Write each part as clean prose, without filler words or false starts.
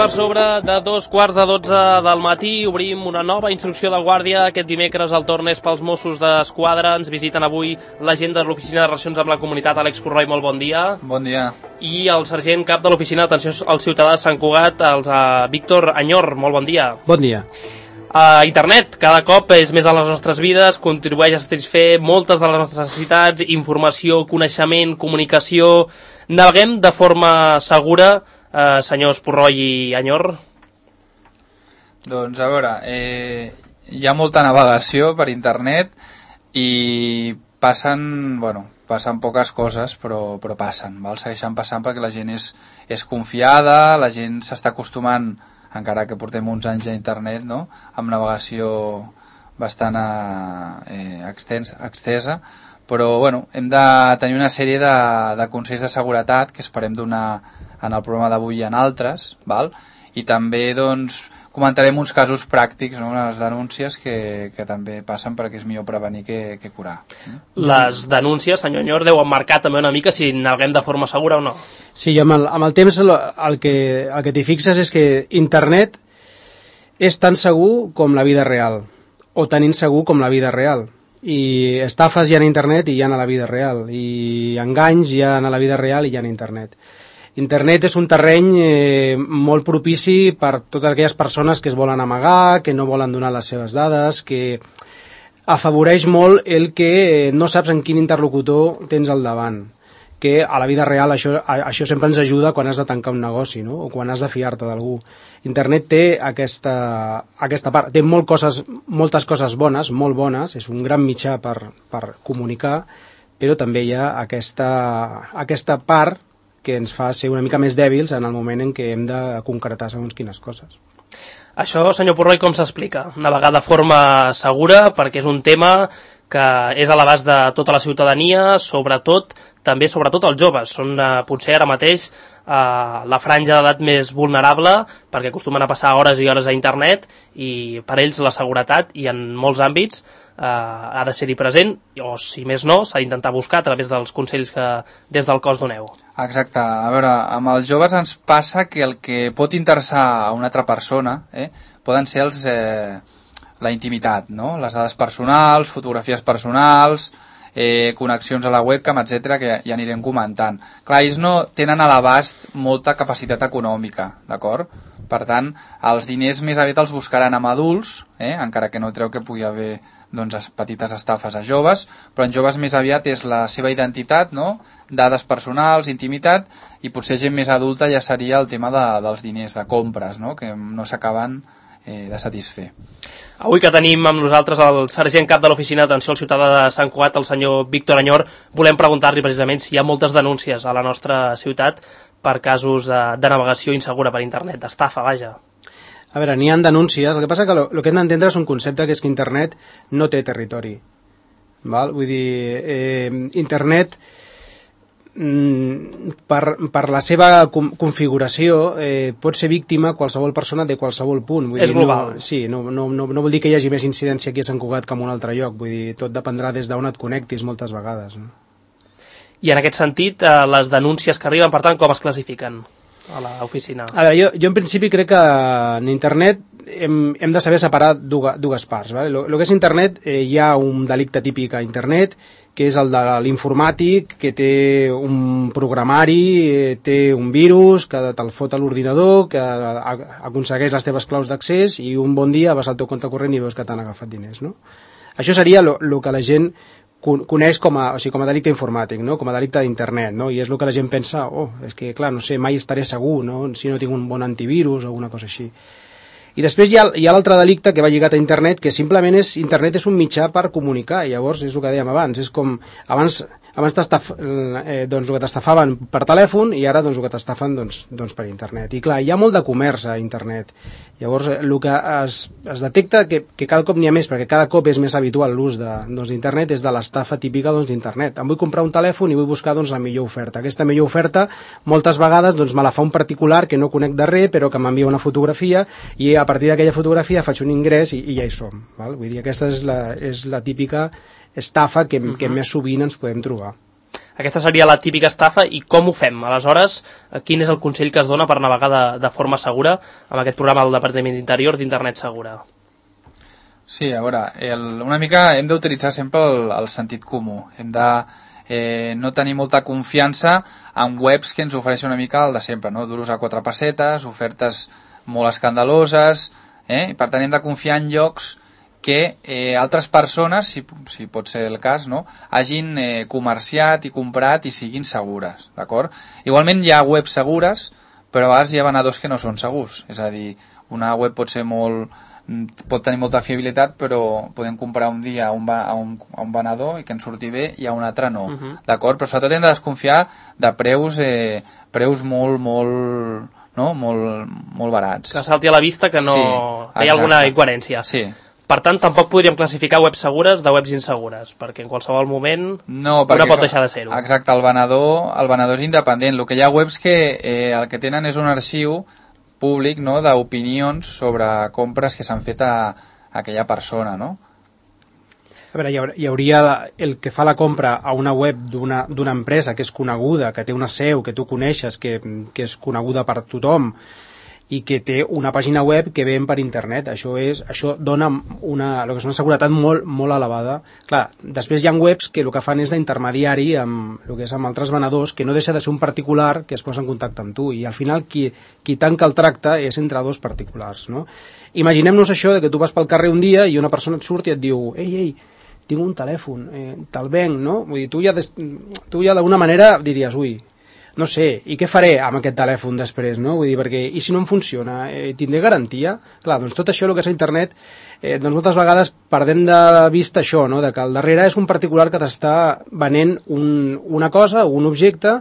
per sobre de 2:15 del matí. Obrim una nova instrucció de guàrdia. Aquest dimecres el torn és pels Mossos d'Esquadra. Ens visiten avui l'agent de l'Oficina de Relacions amb la Comunitat, Àlex Purroy. Molt bon dia. Bon dia. I el sergent cap de l'Oficina d'Atenció al Ciutadà de Sant Cugat, Víctor Anyor. Molt bon dia. Bon dia. Internet cada cop és més a les nostres vides, contribueix a satisfer moltes de les nostres necessitats, informació, coneixement, comunicació. Naveguem de forma segura, senyors Purroy i Anyor? Doncs a veure, hi ha molta navegació per internet i passen poques coses, però passen, val? Segueixen passant perquè la gent és confiada, la gent s'està acostumant, encara que portem uns anys a internet, no?, amb navegació bastant extensa, però hem de tenir una sèrie de consells de seguretat que esperem donar en el programa d'avui i en altres, val? I també comentarem uns casos pràctics, no?, les denúncies que també passen, perquè és millor prevenir que curar. Les denúncies, senyor Anyor, deuen marcar també una mica si naveguem de forma segura o no. Sí, amb el temps el que t'hi fixes és que internet és tan segur com la vida real, o tan insegur com la vida real. I estafes hi ha a internet i hi ha a la vida real, i enganys hi ha a la vida real i hi ha a internet. Internet és un terreny molt propici per totes aquelles persones que es volen amagar, que no volen donar les seves dades, que afavoreix molt el que no saps en quin interlocutor tens al davant, que a la vida real això sempre ens ajuda quan has de tancar un negoci, no?, o quan has de fiar-te d'algú. Internet té aquesta part, té moltes coses bones, molt bones, és un gran mitjà per comunicar, però també hi ha aquesta part que ens fa ser una mica més dèbils en el moment en què hem de concretar segons quines coses. Això, senyor Purroy, com s'explica? Navegar de forma segura, perquè és un tema que és a l'abast de tota la ciutadania, sobretot els joves. Són potser ara mateix la franja d'edat més vulnerable, perquè acostumen a passar hores i hores a internet, i per ells la seguretat, i en molts àmbits, ha de ser-hi present, o si més no, s'ha d'intentar buscar a través dels consells que des del cos doneu. Exacte. A veure, amb els joves ens passa que el que pot interessar a una altra persona poden ser la intimitat, no?, les dades personals, fotografies personals, connexions a la webcam, etc., que ja anirem comentant. Clar, ells no tenen a l'abast molta capacitat econòmica, d'acord? Per tant, els diners més aviat els buscaran amb adults, encara que no treu que pugui haver petites estafes a joves, però en joves més aviat és la seva identitat, no?, dades personals, intimitat, i potser gent més adulta ja seria el tema dels diners, de compres, no?, que no s'acaben de satisfer. Avui que tenim amb nosaltres el sergent cap de l'Oficina d'Atenció al Ciutadà de Sant Cugat, el senyor Víctor Anyor, volem preguntar-li precisament si hi ha moltes denúncies a la nostra ciutat per casos de navegació insegura per internet, d'estafa, vaja. A veure, n'hi ha denúncies, el que passa que el que hem d'entendre és un concepte, que és que internet no té territori. Val? Vull dir, internet, per la seva configuració, pot ser víctima qualsevol persona de qualsevol punt. És global. No vol dir que hi hagi més incidència aquí a Sant Cugat que en un altre lloc. Vull dir, tot dependrà des d'on et connectis moltes vegades, no? I en aquest sentit, les denúncies que arriben, per tant, com es classifiquen a l'oficina? A veure, jo en principi crec que en internet hem de saber separar dues parts. Vale? Lo que és internet, hi ha un delicte típic a internet, que és el de l'informàtic, que té un programari, té un virus, que te'l fot a l'ordinador, que aconsegueix les teves claus d'accés i un bon dia vas al teu compte corrent i veus que t'han agafat diners, no? Això seria el que la gent coneix com a delicte informàtic, no?, com a delicte d'internet, no? I és el que la gent pensa, és que clar, no sé, mai estaré segur, no?, si no tinc un bon antivirus o alguna cosa així. I després hi ha l'altre delicte que va lligat a internet, que simplement internet és un mitjà per comunicar, i llavors és el que dèiem abans, és com abans el que t'estafaven per telèfon i ara el que t'estafen per internet. I clar, hi ha molt de comerç a internet. Llavors el que es detecta que cada cop n'hi ha més, perquè cada cop és més habitual l'ús d'internet, és de l'estafa típica d'internet. Em vull comprar un telèfon i vull buscar la millor oferta. Aquesta millor oferta moltes vegades me la fa un particular que no conec de res, però que m'envia una fotografia i a partir d'aquella fotografia faig un ingrés i ja hi som. Val? Vull dir, aquesta és la típica estafa que més sovint ens podem trobar. Aquesta seria la típica estafa, i com ho fem? Aleshores, quin és el consell que es dona per navegar de forma segura amb aquest programa del Departament d'Interior d'Internet Segura? Sí, a veure, una mica hem d'utilitzar sempre el sentit comú. Hem de no tenir molta confiança en webs que ens ofereixen una mica el de sempre, no? Duros a 4 pessetes, ofertes molt escandaloses, i per tant hem de confiar en llocs que altres persones, si pot ser el cas, no? Hagin comerciat i comprat i siguin segures, d'acord? Igualment hi ha webs segures, però a vegades hi ha venedors que no són segurs, és a dir, una web pot tenir molta fiabilitat, però podem comprar un dia a un venedor i que ens surti bé i a un altre no, d'acord? Però sobretot hem de desconfiar de preus molt barats. Que salti a la vista que no hi ha alguna incoherència. Sí. Per tant, tampoc podríem classificar webs segures de webs insegures, perquè en qualsevol moment una pot deixar de ser-ho. Exacte, el venedor és independent. El que hi ha webs que el que tenen és un arxiu públic, no?, d'opinions sobre compres que s'han fet a aquella persona, no? A veure, hi hauria el que fa la compra a una web d'una empresa que és coneguda, que té una seu, que tu coneixes, que és coneguda per tothom, i que té una pàgina web que ven per internet. Això dona el que és una seguretat molt, molt elevada. Clar, després hi ha webs que el que fan és d'intermediari amb el que és amb altres venedors, que no deixa de ser un particular que es posa en contacte amb tu, i al final qui tanca el tracte és entre dos particulars, no? Imaginem-nos això de que tu vas pel carrer un dia i una persona et surt i et diu ei, tinc un telèfon, te'l venc, no? Vull dir, tu ja d'alguna manera diries, ui, no sé, i què faré amb aquest telèfon després, no? Vull dir, perquè, i si no em funciona, tindré garantia? Clar, doncs tot això, el que és a internet, doncs moltes vegades perdem de vista això, no? De que al darrere és un particular que t'està venent una cosa, un objecte,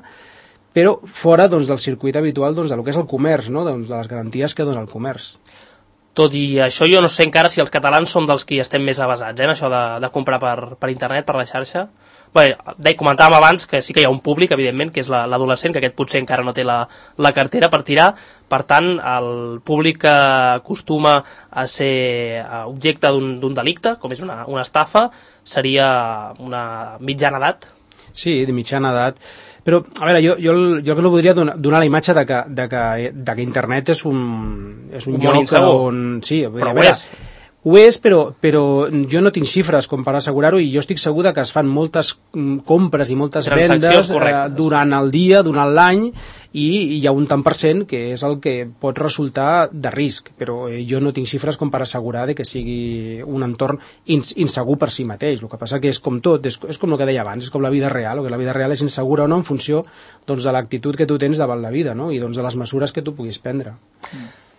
però fora, doncs, del circuit habitual, doncs, del que és el comerç, no? Doncs, de les garanties que dona el comerç. Tot i això, jo no sé encara si els catalans som dels que estem més avasats, en això de comprar per internet, per la xarxa. Bé, comentàvem abans que sí que hi ha un públic, evidentment, que és l'adolescent, que aquest potser encara no té la cartera per tirar. Per tant, el públic que acostuma a ser objecte d'un delicte, com és una estafa, seria una mitjana edat. Sí, de mitjana edat. Però, a veure, jo el que no voldria donar la imatge de que internet és un lloc on... Sí, però ho és. Ho és, però jo no tinc xifres com per assegurar-ho, i jo estic segur que es fan moltes compres i moltes vendes durant el dia, durant l'any, i hi ha un tant per cent que és el que pot resultar de risc, però jo no tinc xifres com per assegurar que sigui un entorn insegur per si mateix. El que passa que és com tot, és com el que deia abans, és com la vida real, que la vida real és insegura o no en funció, doncs, de l'actitud que tu tens davant la vida, no? I doncs, de les mesures que tu puguis prendre.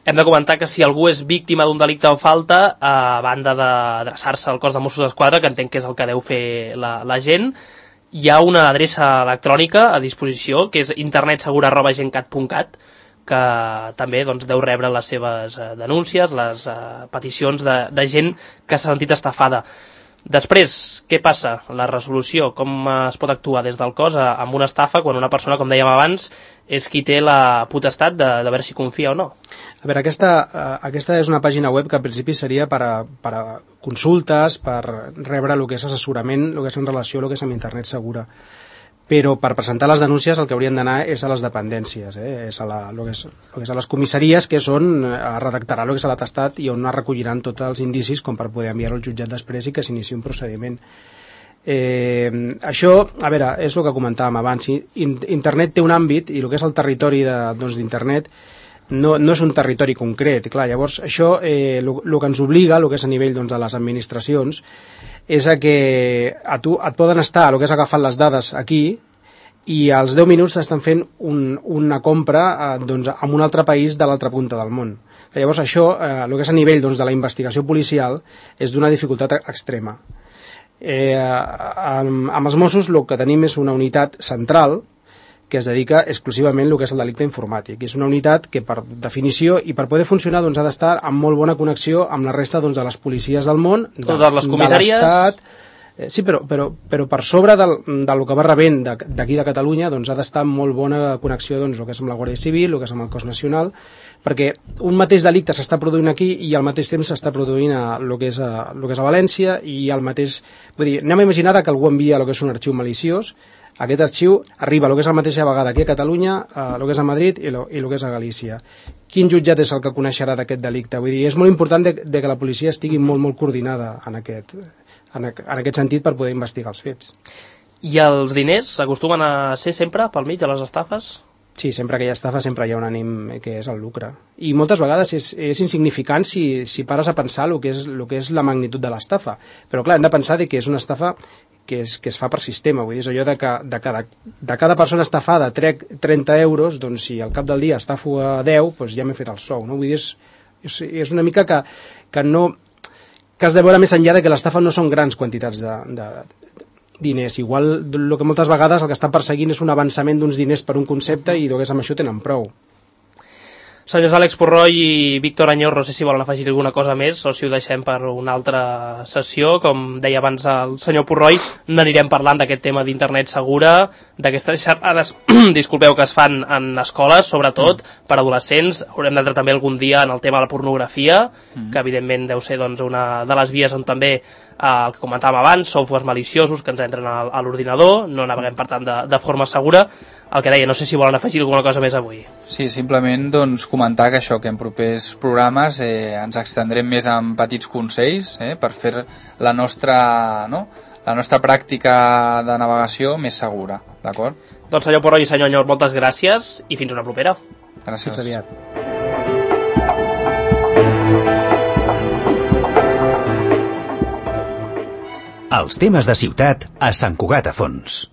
Hem de comentar que si algú és víctima d'un delicte o falta, a banda d'adreçar-se al cos de Mossos d'Esquadra, que entenc que és el que deu fer la gent, hi ha una adreça electrònica a disposició, que és internetsegura@gencat.cat, que també doncs, deu rebre les seves denúncies, les peticions de gent que s'ha sentit estafada. Després, què passa? La resolució, com es pot actuar des del cos amb una estafa quan una persona, com dèiem abans, és qui té la potestat de veure si confia o no? A veure, aquesta és una pàgina web que al principi seria per a consultes, per rebre el que és assessorament, el que és en relació a el que és amb internet segura. Però per presentar les denúncies el que haurien d'anar és a les dependències, és a les comissaries, que és on redactarà el que és l'atestat i on es recolliran tots els indicis com per poder enviar-ho al jutjat després i que s'iniciï un procediment. Això, a veure, és el que comentàvem abans. Internet té un àmbit, i el que és el territori d'internet no és un territori concret. Clar, llavors, això el que ens obliga, el que és a nivell de les administracions, és que a tu et poden estar el que és agafant les dades aquí i als 10 minuts t'estan fent una compra en un altre país de l'altra punta del món. Llavors això, el que és a nivell de la investigació policial, és d'una dificultat extrema. Amb els Mossos el que tenim és una unitat central que es dedica exclusivament al que és el delicte informàtic. És una unitat que, per definició, i per poder funcionar, ha d'estar en molt bona connexió amb la resta de les policies del món, totes les comissaries. De l'Estat. Sí, però per sobre del que va rebent d'aquí de Catalunya, ha d'estar en molt bona connexió el que és amb la Guàrdia Civil, el que és amb el cos nacional, perquè un mateix delicte s'està produint aquí i al mateix temps s'està produint el que és a València, i al mateix... Vull dir, anem a imaginar que algú envia el que és un arxiu maliciós aquest arxiu arriba el que és a la mateixa vegada aquí a Catalunya, el que és a Madrid i el que és a Galícia. Quin jutjat és el que coneixerà d'aquest delicte? Vull dir, és molt important de que la policia estigui molt, molt coordinada en aquest sentit per poder investigar els fets. I els diners acostumen a ser sempre pel mig de les estafes? Sí, sempre que hi ha estafa sempre hi ha un ànim que és el lucre. I moltes vegades és insignificant si pares a pensar el que és la magnitud de l'estafa. Però clar, hem de pensar que és una estafa que es fa per sistema. Vull dir, és allò de cada persona estafada trec 30 euros, doncs si al cap del dia estafo a 10, doncs ja m'he fet el sou. No? Vull dir, és una mica que has de veure més enllà de que l'estafa no són grans quantitats de diners. Igual el que moltes vegades el que estan perseguint és un avançament d'uns diners per un concepte i doncs amb això tenen prou. Senyors Àlex Purroy i Víctor Añor, no sé si volen afegir alguna cosa més o si ho deixem per una altra sessió. Com deia abans el senyor Purroy, n'anirem parlant d'aquest tema d'internet segura, d'aquestes xerrades disculpeu, que es fan en escoles, sobretot per adolescents. Haurem d'entrar també algun dia en el tema de la pornografia, que evidentment deu ser doncs, una de les vies on també el que comentàvem abans, softwares maliciosos que ens entren a l'ordinador, no naveguem per tant de forma segura. El que deia, no sé si volen afegir alguna cosa més avui. Sí, simplement doncs, comentar que això, que en propers programes ens extendrem més en petits consells per fer la nostra pràctica de navegació més segura, d'acord? Doncs senyor Purroy i senyor Añor, moltes gràcies i fins una propera. Gràcies. Fins aviat. Els temes de ciutat a Sant Cugat a Fons.